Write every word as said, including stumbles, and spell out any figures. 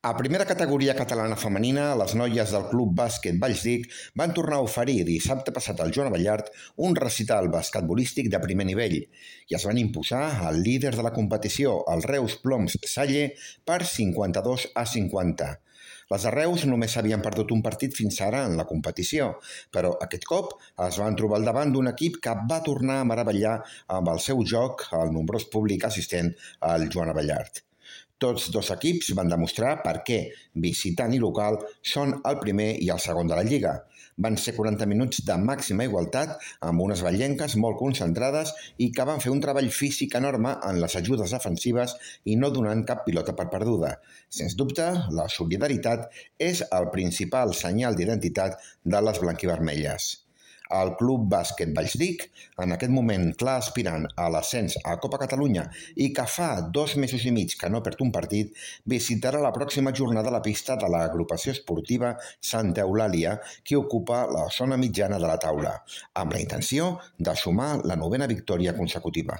A primera categoria catalana femenina, les noies del Club Bàsquet Vallsdic van tornar a oferir dissabte passat al Joan Abellart un recital basquetbolístic de primer nivell i es van imposar al líder de la competició, el Reus Ploms Salle, per cinquanta-dos a cinquanta. Les de Reus només havien perdut un partit fins ara en la competició, però aquest cop es van trobar al davant d'un equip que va tornar a meravellar amb el seu joc al nombrós públic assistent al Joan Abellart. Tots dos equips van demostrar per què visitant i local són el primer i el segon de la Lliga. Van ser quaranta minuts de màxima igualtat amb unes vallenques molt concentrades i que van fer un treball físic enorme en les ajudes defensives i no donant cap pilota per perduda. Sens dubte, la solidaritat és el principal senyal d'identitat de les blanquivermelles. El Club Bàsquet Vallsdic, en aquest moment clar aspirant a l'ascens a Copa Catalunya i que fa dos mesos i mig que no perd un partit, visitarà la pròxima jornada la pista de l'agrupació esportiva Santa Eulàlia, que ocupa la zona mitjana de la taula, amb la intenció de sumar la novena victòria consecutiva.